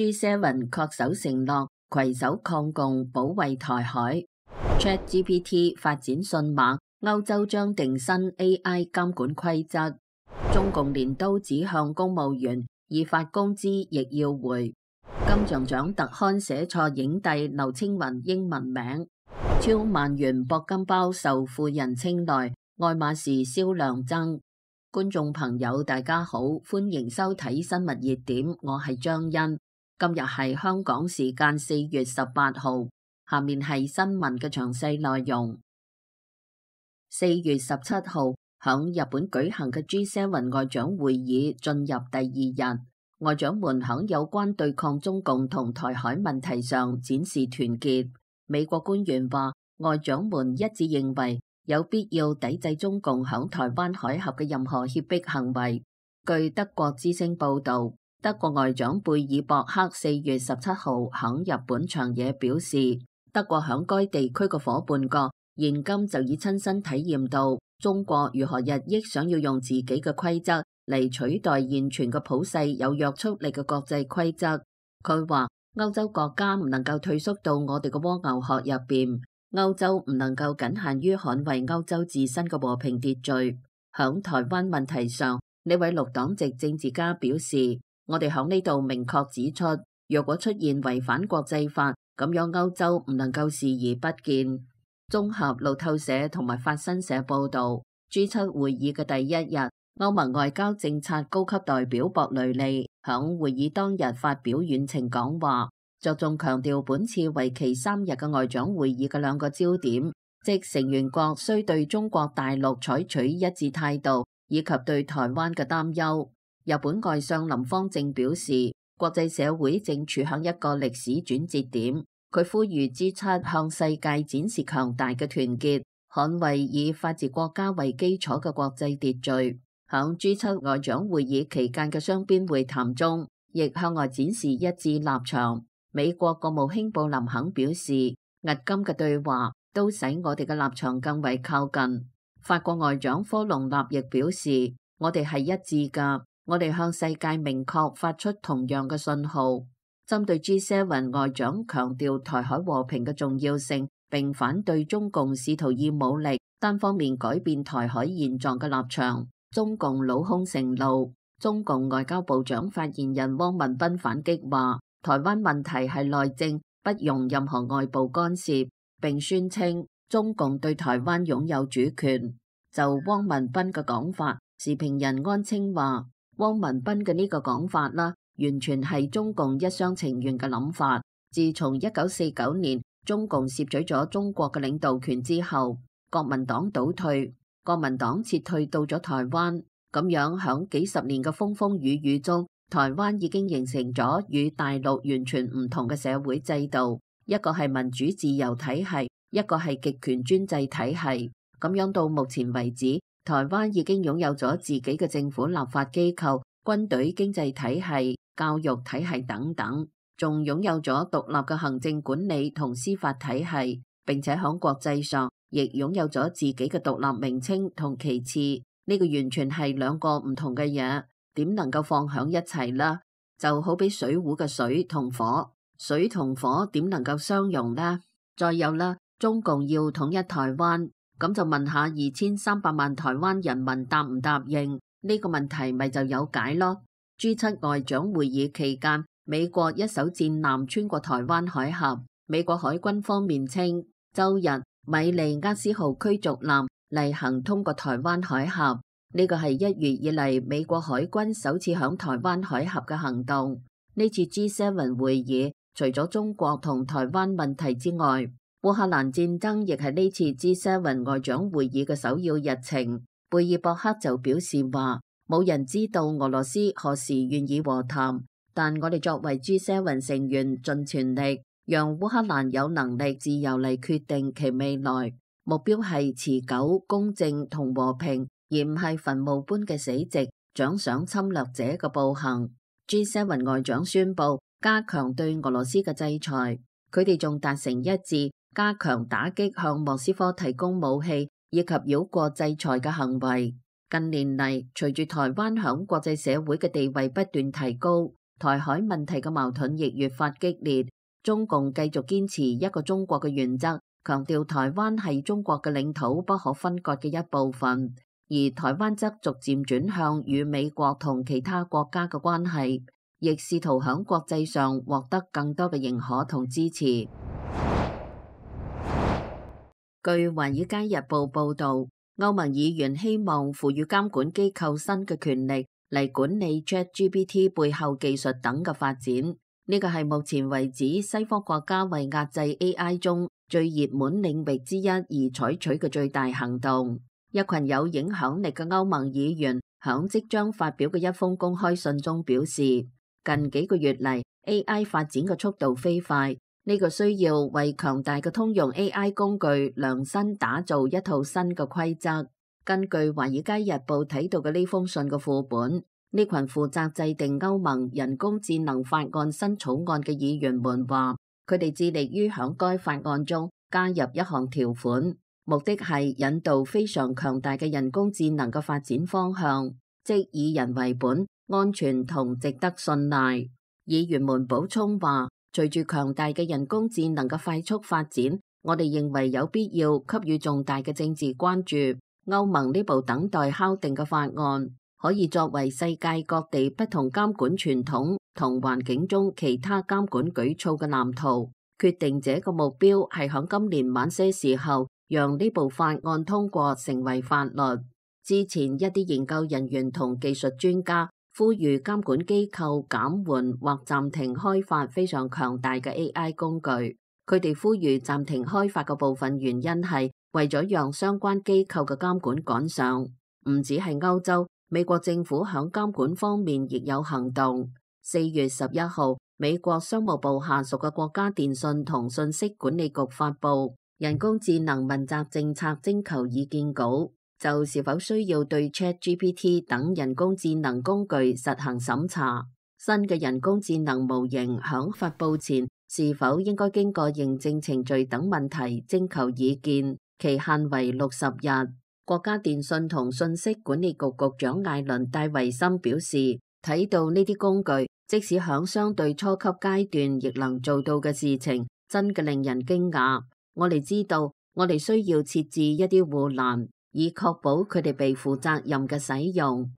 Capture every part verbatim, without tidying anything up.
G 七 恪守承諾，攜手抗共，保衛台海。ChatGPT 發展迅猛，歐洲將定新 A I 監管規則。中共鐮刀指向公務員，已發工資亦要回。金像獎特刊寫錯影帝劉青雲英文名。超萬元鉑金包受富人青睞，愛馬仕銷量增。觀眾朋友大家好，歡迎收睇新聞熱點，我係張欣。今日係香港時間四月十八號，下面係新聞嘅詳細內容。四月十七號，響日本舉行嘅 G 七 外長會議進入第二日，外長們響有關對抗中共同台海問題上展示團結。美國官員話，外長們一致認為有必要抵制中共響台灣海峽嘅任何脅迫行為。據德國之聲報道，德國外長貝爾博克四月十七號響日本長野表示，德國響該地區嘅夥伴國現今就已親身體驗到中國如何日益想要用自己嘅規則嚟取代現存嘅普世有約束力嘅國際規則。佢話，歐洲國家唔能夠退縮到我哋嘅蝸牛殼入邊，歐洲唔能夠僅限於捍衛歐洲自身嘅和平秩序。響台灣問題上，呢位綠黨籍政治家表示，我哋響呢度明確指出，若果出現違反國際法，咁樣歐洲唔能夠視而不見。綜合路透社同埋法新社報道， G 七 會議嘅第一日，歐盟外交政策高級代表博雷利響會議當日發表遠程講話，着重強調本次為期三日嘅外長會議嘅兩個焦點，即成員國需對中國大陸採取一致態度，以及對台灣嘅擔憂。日本外相林芳正表示，國際社會正處響一個歷史轉折點，佢呼籲 G 七 向世界展示強大嘅團結，捍衛以法治國家為基礎嘅國際秩序。響 G 七 外長會議期間嘅雙邊會談中，亦向外展示一致立場。美國國務卿布林肯表示，迄今嘅對話都使我哋嘅立場更為靠近。法國外長科隆納亦表示，我哋係一致㗎，我哋向世界明確發出同樣嘅信號。針對 G 七 外長強調台海和平嘅重要性，並反對中共試圖以武力單方面改變台海現狀嘅立場，中共老兇成怒。中共外交部長發言人汪文斌反擊話，台灣問題係內政，不容任何外部干涉，並宣稱中共對台灣擁有主權。就汪文斌嘅講法，時評人安清話，汪文斌嘅呢個講法啦，完全係中共一廂情願嘅諗法。自從一九四九年中共攝取咗中國嘅領導權之後，國民黨倒退，國民黨撤退到咗台灣，咁樣響幾十年嘅風風雨雨中，台灣已經形成咗與大陸完全唔同嘅社會制度，一個係民主自由體系，一個係極權專制體系。咁樣到目前為止，台灣已經擁有咗自己嘅政府、立法機構、軍隊、經濟體系、教育體系等等，仲擁有咗獨立嘅行政管理同司法體系，並且喺國際上亦擁有咗自己嘅獨立名稱同旗幟。呢個完全係兩個唔同嘅嘢，點能夠放響一齊呢？就好比水壺嘅水同火，水同火點能夠相容呢？再有啦，中共要統一台灣，咁就問下二千三百萬台灣人民答唔答應？呢個問題咪就有解咯。G 七 外長會議期間，美國一艘戰艦穿過台灣海峽，美國海軍方面稱，周日米利厄斯號驅逐艦例行通過台灣海峽，呢個係一月以嚟美國海軍首次響台灣海峽嘅行動。呢次 G 七 會議除咗中國同台灣問題之外，烏克蘭戰爭亦係呢次 G 七 外長會議嘅首要日程。貝爾博克就表示話，冇人知道俄羅斯何時願意和談，但我哋作為 G 七 成員，盡全力讓烏克蘭有能力自由嚟決定其未來。目標係持久、公正同和平，而唔係墳墓般嘅死寂，獎賞侵略者嘅暴行。G 七 外長宣布加強對俄羅斯嘅制裁，佢哋仲達成一致，加強打擊向莫斯科提供武器以及繞過制裁嘅行為。近年嚟，隨住台灣響國際社會嘅地位不斷提高，台海問題嘅矛盾亦越發激烈。中共繼續堅持一個中國嘅原則，強調台灣係中國嘅領土不可分割嘅一部分，而台灣則逐漸轉向與美國同其他國家嘅關係，亦試圖響國際上獲得更多嘅認可同支持。據《華爾街日報》報導，歐盟議員希望賦予監管機構新嘅權力嚟管理 ChatGPT 背後技術等嘅發展。呢個係目前為止西方國家為壓制 A I 中最熱門領域之一而採取嘅最大行動。一群有影響力嘅歐盟議員響即將發表嘅一封公開信中表示，近幾個月嚟 A I 發展嘅速度飛快，呢個需要為強大嘅通用 A I 工具量身打造一套新嘅規則。根據《華爾街日報》睇到嘅呢封信嘅副本，呢群負責制定歐盟人工智能法案新草案嘅議員們話，佢哋致力於響該法案中加入一項條款，目的係引導非常強大嘅人工智能嘅發展方向，即以人為本、安全同值得信賴。議員們補充話，隨住強大嘅人工智能嘅快速發展，我哋認為有必要給予重大嘅政治關注。歐盟呢部等待敲定嘅法案，可以作為世界各地不同監管傳統同環境中其他監管舉措嘅藍圖。決定者嘅目標係響今年晚些時候，讓呢部法案通過成為法律。之前一啲研究人員同技術專家呼籲監管機構減緩或暫停開發非常強大嘅 A I 工具。佢哋呼籲暫停開發嘅部分原因係為咗讓相關機構嘅監管趕上。唔止係歐洲，美國政府響監管方面亦有行動。四月十一號，美國商務部下屬嘅國家電信同信息管理局發布人工智能問責政策徵求意見稿，就是否需要對 ChatGPT 等人工智能工具實行審查。新嘅人工智能模型響發布前是否應該經過認證程序等問題徵求意見，期限為六十日。國家電信同信息管理局局長艾倫戴維森表示，睇到呢啲工具，即使響相對初級階段亦能做到嘅事情，真嘅令人驚訝。我哋知道，我哋需要設置一啲護欄，以確保佢哋被負責任嘅使用。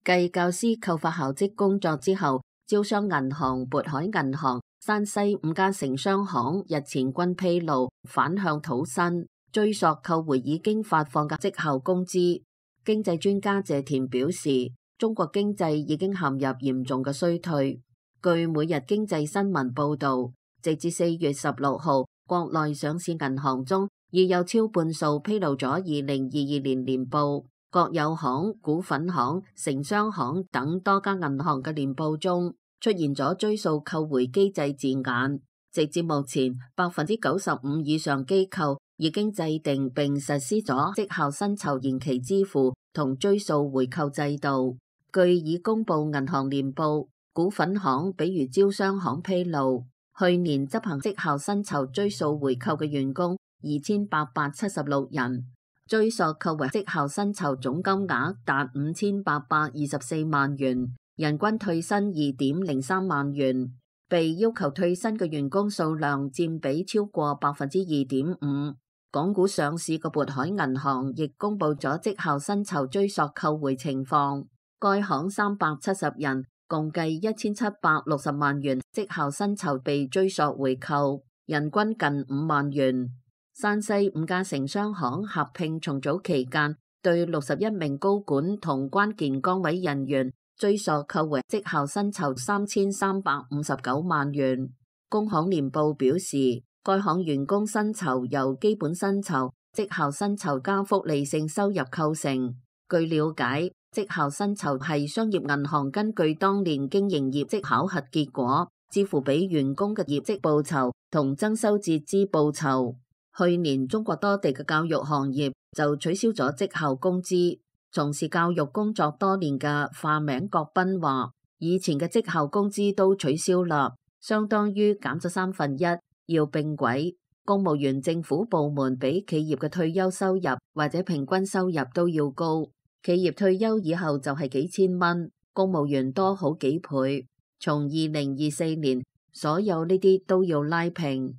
繼教師扣發校職工作之後，招商銀行、渤海銀行、山西五家城商行日前均披露反向討薪，追溯扣回已經發放嘅績效工資。經濟專家謝田表示，中國經濟已經陷入嚴重嘅衰退。據每日經濟新聞報導，直至四月十六號，國內上市銀行中已有超半數披露咗二零二二年年報。國有行、股份行、城商行等多家銀行嘅年報中出現咗追溯扣回機制字眼。直至目前，百分之九十五以上機構已經制定並實施咗績效薪酬延期支付同追溯回扣制度。據已公布銀行年報，股份行比如招商行披露，去年執行績效薪酬追溯回扣嘅員工二千八百七十六人，追溯扣回績效薪酬總金額達五千八百二十四萬元，人均退薪二點零三萬元。被要求退薪嘅員工數量佔比超過百分之二點五。港股上市嘅渤海銀行亦公布咗績效薪酬追溯扣回情況，該行三百七十人，共計一千七百六十萬元績效薪酬被追溯回扣，人均近五萬元。山西五家城商行合併重組期間，對六十一名高管同關鍵崗位人員追溯扣回績效薪酬三千三百五十九萬元。工行年報表示，該行員工薪酬由基本薪酬、績效薪酬加福利性收入構成。據了解，績效薪酬係商業銀行根據當年經營業績考核結果，支付俾員工嘅業績報酬同增收截支報酬。去年中國多地嘅教育行業就取消咗績效工資。從事教育工作多年嘅化名郭斌話，以前嘅績效工資都取消啦，相當於減咗三分一，要並軌。公務員政府部門比企業嘅退休收入或者平均收入都要高，企業退休以後就係幾千蚊，公務員多好幾倍。從二零二四年，所有呢啲都要拉平。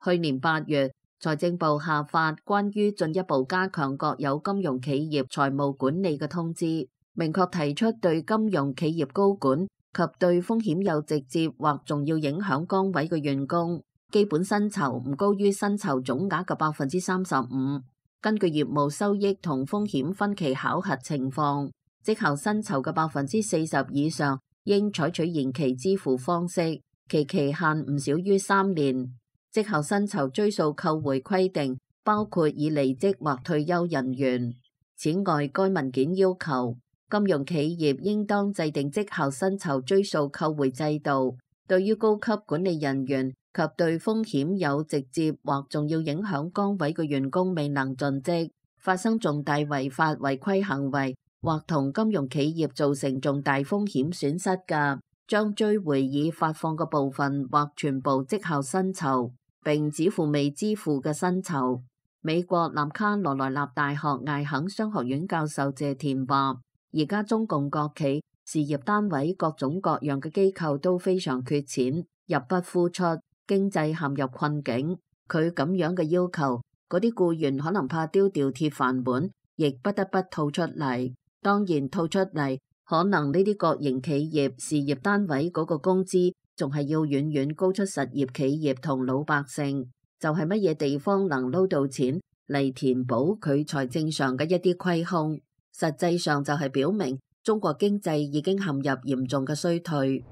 去年八月，財政部下發關於進一步加強國有金融企業財務管理嘅通知，明確提出對金融企業高管及對風險有直接或重要影響崗位嘅員工，基本薪酬唔高於薪酬總額嘅百分之三十五。根據業務收益同風險分期考核情況，績效薪酬嘅百分之四十以上應採取延期支付方式，其期限唔少於三年。績效薪酬追溯扣回規定包括已離職或退休人員。此外，該文件要求金融企業應當制定績效薪酬追溯扣回制度，對於高級管理人員及對風險有直接或重要影響崗位嘅員工未能盡職，發生重大違法違規行為或同金融企業造成重大風險損失嘅，將追回已發放嘅部分或全部績效薪酬，並只付未支付嘅薪酬。美國南卡羅來納大學艾肯商學院教授謝田話，而家中共國企、事業單位各種各樣嘅機構都非常缺錢，入不敷出，經濟陷入困境。佢咁樣嘅要求，嗰啲僱員可能怕丟掉鐵飯碗，亦不得不吐出嚟。當然吐出嚟，可能呢啲國營企業、事業單位嗰個工資仲係要遠遠高出實業企業同老百姓。就係乜嘢地方能撈到錢嚟填補佢財政上嘅一啲虧空，實際上就係表明中國經濟已經陷入嚴重嘅衰退。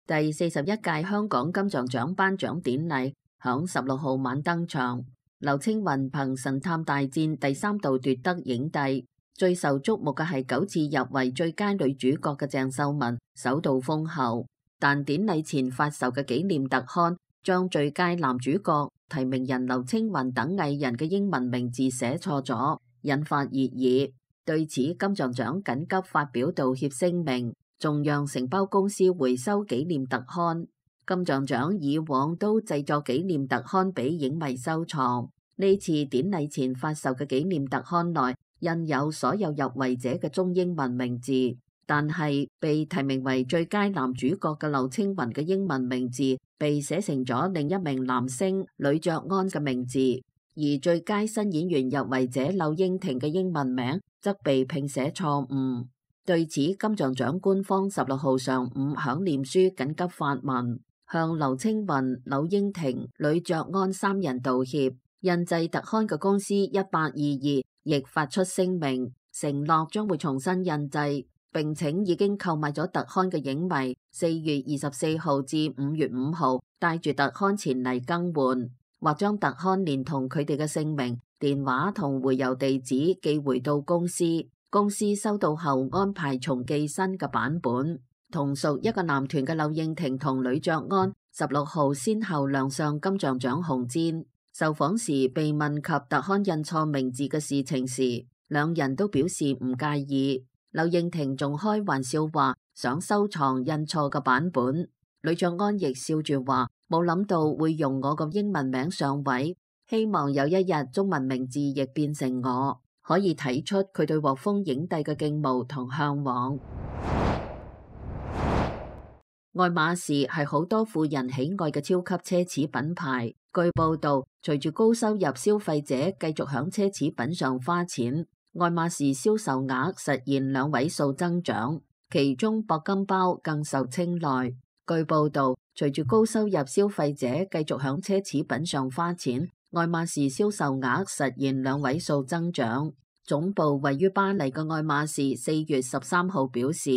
第四十一屆香港金像獎頒獎典禮響十六號晚登場，劉青雲憑《神探大戰》第三度奪得影帝，最受矚目嘅係九次入圍最佳女主角嘅鄭秀文首度封后。但典禮前發售嘅紀念特刊將最佳男主角提名人劉青雲等藝人嘅英文名字寫錯咗，引發熱議。對此，金像獎緊急發表道歉聲明，仲讓承包公司回收紀念特刊。金像獎以往都製作紀念特刊俾影迷收藏，呢次典禮前發售嘅紀念特刊內印有所有入圍者嘅中英文名字。但係被提名為最佳男主角嘅劉青雲嘅英文名字被寫成咗另一名男星呂爵安嘅名字，而最佳新演員入圍者柳英廷嘅英文名則被拼寫錯誤。對此，金像獎官方十六號上午響臉書緊急發文，向劉青雲、柳英廷、呂爵安三人道歉。印製特刊嘅公司一八二二亦發出聲明，承諾將會重新印製。並請已經購買咗特刊嘅影迷，四月二十四號至五月五號帶住特刊前嚟更換，或將特刊連同佢哋嘅姓名、電話同回郵地址寄回到公司。公司收到後安排重寄新嘅版本。同屬一個男團嘅柳應廷同呂爵安十六號先後亮相金像獎紅毯。受訪時被問及特刊印錯名字嘅事情時，兩人都表示唔介意。柳應廷仲開玩笑話想收藏印錯嘅版本，呂爵安亦笑住話冇諗到會用我個英文名上位，希望有一日中文名字亦變成我，可以睇出佢對獲封影帝嘅敬慕同向往。愛馬仕係好多富人喜愛嘅超級奢侈品牌，據報道，隨住高收入消費者繼續響奢侈品上花錢，愛馬仕銷售額實現兩位數增長，其中鉑金包更受青睞。據報道，隨住高收入消費者繼續響奢侈品上花錢，愛馬仕銷售額實現兩位數增長。總部位於巴黎嘅愛馬仕四月十三號表示，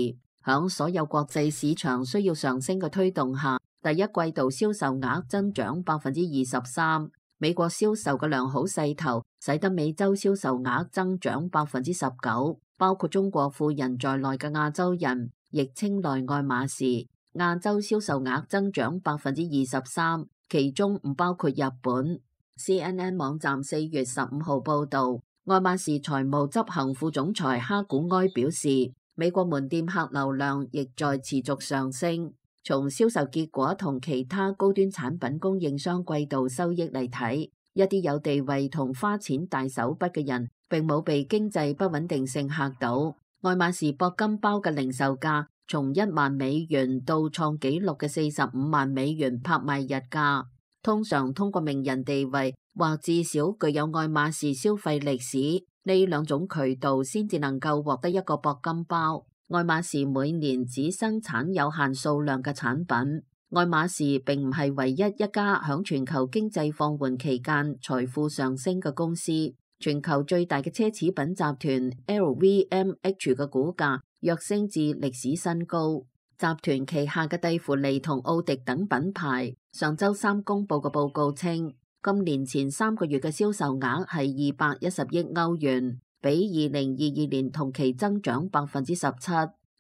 響所有國際市場需要上升嘅推動下，第一季度銷售額增長百分之二十三。美國銷售嘅良好勢頭，使得美洲銷售額增長百分之十九，包括中國富人在內嘅亞洲人亦青睞愛馬仕。亞洲銷售額增長百分之二十三，其中唔包括日本。C N N 網站四月十五號報道，愛馬仕財務執行副總裁哈古埃表示，美國門店客流量亦在持續上升。從銷售結果同其他高端產品供應商季度收益嚟睇，一啲有地位同花錢大手筆嘅人並冇被經濟不穩定性嚇到。愛馬仕鉑金包嘅零售價從一萬美元到創紀錄嘅四十五萬美元拍賣日價。通常通過名人地位或至少具有愛馬仕消費歷史呢兩種渠道先至能夠獲得一個鉑金包。愛馬仕每年只生產有限數量嘅產品。愛馬仕並唔係唯一一家響全球經濟放緩期間財富上升嘅公司。全球最大嘅奢侈品集團 L V M H 嘅股價躍升至歷史新高。集團旗下嘅蒂芙尼同奧迪等品牌上周三公布嘅報告稱，今年前三個月嘅銷售額係二百一十億歐元，比二零二二年同期增長百分之十七。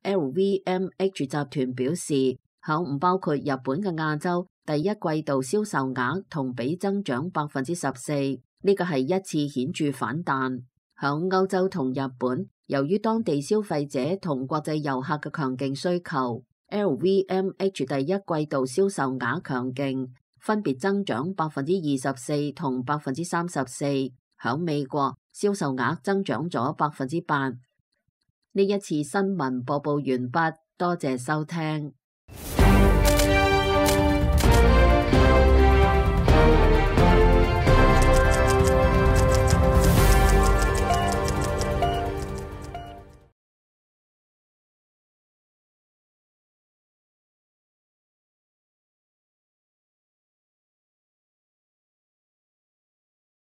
L V M H 集團表示，響唔包括日本嘅亞洲，第一季度銷售額同比增長百分之十四，呢個係一次顯著反彈。響歐洲同日本，由於當地消費者同國際遊客嘅強勁需求 ，L V M H 第一季度銷售額強勁，分別增長百分之二十四同百分之三十四。響美國，銷售額增長咗百分之八。呢一次新聞播報完畢，多謝收聽。